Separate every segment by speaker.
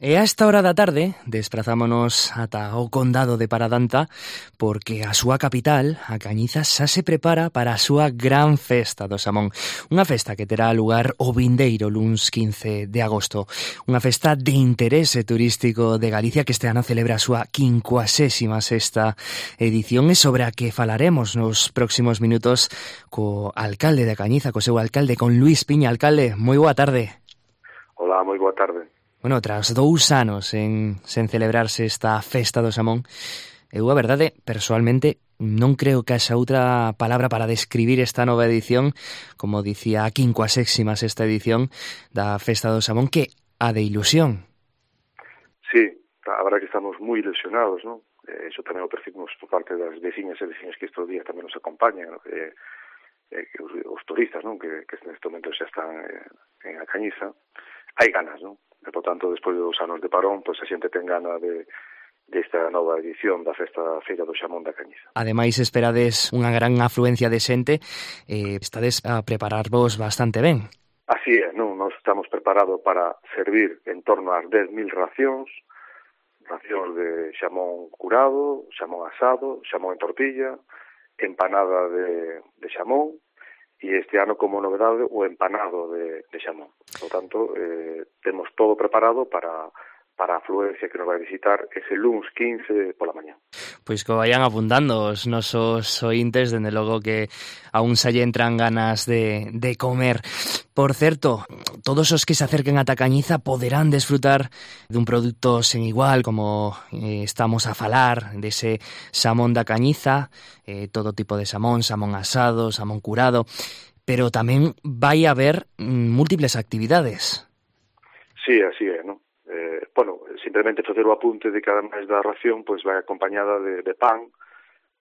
Speaker 1: E a esta hora da tarde desprazámonos ata o condado de Paradanta porque a súa capital, a Cañiza, xa se prepara para a súa gran festa do Xamón. Unha festa que terá lugar o vindeiro luns 15 de agosto. Unha festa de interese turístico de Galicia que este ano celebra a súa 56ª edición e sobre a que falaremos nos próximos minutos co alcalde da Cañiza, co seu alcalde, con Luís Piña. Alcalde, moi boa tarde.
Speaker 2: Hola, moi boa tarde.
Speaker 1: Bueno, tras 2 anos sen celebrarse esta festa do Xamón, eu a verdade, persoalmente, non creo que haxa outra palabra para describir esta nova edición, como dicía a 56ª edición da festa do Xamón, que a de ilusión.
Speaker 2: Sí, a verdade que estamos moi ilusionados, ¿no? Eso tamén o percibimos por parte das veciñas e veciños que estes días tamén nos acompañan, ¿no? Os turistas, ¿no? Que neste momento xa están en a Cañiza. Hai ganas, ¿no? E, por tanto, despois de 2 anos de parón, pois a xente ten gana desta nova edición da Festa Feira do Xamón da Cañiza.
Speaker 1: Ademais, esperades unha gran afluencia de xente e estades a prepararvos bastante ben.
Speaker 2: Así é, non? Nós estamos preparados para servir en torno ás 10.000 racións de xamón curado, xamón asado, xamón en tortilla, empanada de xamón, e este ano, como novedade, o empanado de xamón. Por tanto, temos todo preparado para a afluencia que nos vai visitar ese luns 15 pola mañá.
Speaker 1: Pois que vayan apuntando os nosos ointes, dende logo que aún se lle entran ganas de comer. Por certo, todos os que se acerquen a Cañiza poderán desfrutar dun produto sen igual, como estamos a falar, dese xamón da Cañiza, todo tipo de xamón, xamón asado, xamón curado, pero tamén vai haber múltiples actividades.
Speaker 2: Sí, así é, non? Simplemente facer o apunte de que ademais da ración pois vai acompañada de pan,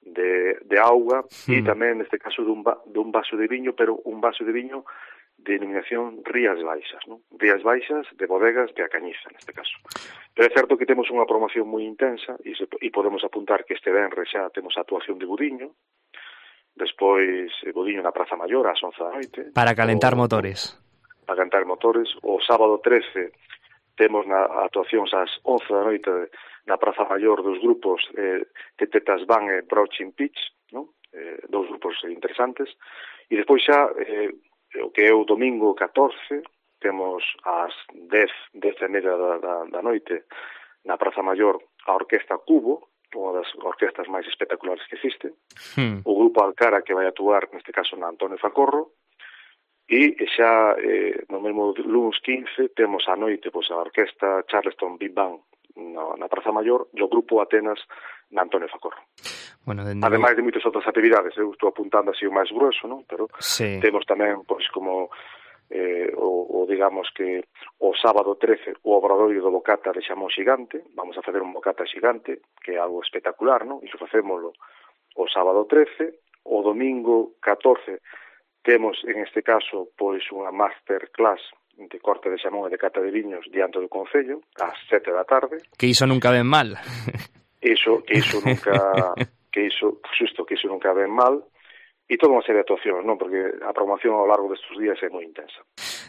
Speaker 2: de auga e tamén neste caso dun vaso de viño, pero un vaso de viño de denominación Rías Baixas, non? Rías Baixas de bodegas de A Cañiza neste caso. Pero é certo que temos unha promoción moi intensa e podemos apuntar que este venres xa temos a actuación de Budiño, despois Budiño na Praza Maior ás 11 da noite.
Speaker 1: Para calentar motores.
Speaker 2: Para calentar motores. O sábado 13 temos na actuacións ás 11 da noite na Praza Maior dos grupos Tetetas Van e Broaching Pitch, non? Dous grupos interesantes. E despois xa, o que é o domingo 14, temos ás 10:30 da noite na Praza Maior a Orquesta Cubo, unha das orquestas máis espectaculares que existe. O grupo Alcara que vai actuar, neste caso, na Antonio Facorro. E xa no mesmo lunes 15 temos a noite pois, a orquesta Charleston Big Band na Praza Maior e o grupo Atenas na Antonio Facorro.
Speaker 1: Bueno,
Speaker 2: ademais de moitas outras actividades, eu estou apuntando así o máis grueso, non? Pero
Speaker 1: sí.
Speaker 2: Temos tamén pois como digamos que o sábado 13 o obradoiro do bocata de xamón xigante, vamos a facer un bocata xigante, que é algo espectacular, non? Iso facémoslo o sábado 13, o domingo 14 temos, en este caso, pois unha masterclass de corte de xamón e de cata de viños diante do Concello, ás 7 da tarde.
Speaker 1: Que iso nunca ven mal.
Speaker 2: Que iso nunca ven mal. E toda unha serie de actuacións, non? Porque a promoción ao largo destes días é moi intensa.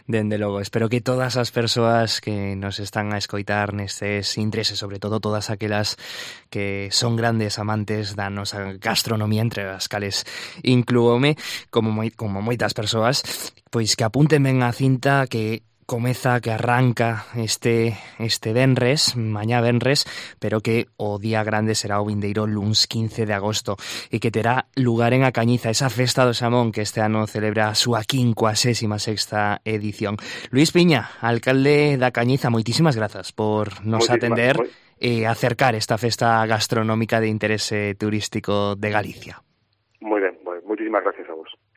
Speaker 1: Dende logo, espero que todas as persoas que nos están a escoitar nestes intereses, sobre todo todas aquelas que son grandes amantes da nosa gastronomía, entre as cales inclúome, como moitas persoas, pois que apunten ben a cinta que comeza, que arranca este venres, mañá venres, pero que o día grande será o vindeiro luns 15 de agosto e que terá lugar en A Cañiza, esa festa do Xamón que este ano celebra a súa 56ª edición. Luís Piña, alcalde da Cañiza, moitísimas grazas por nos atender e acercar esta festa gastronómica de interese turístico de Galicia.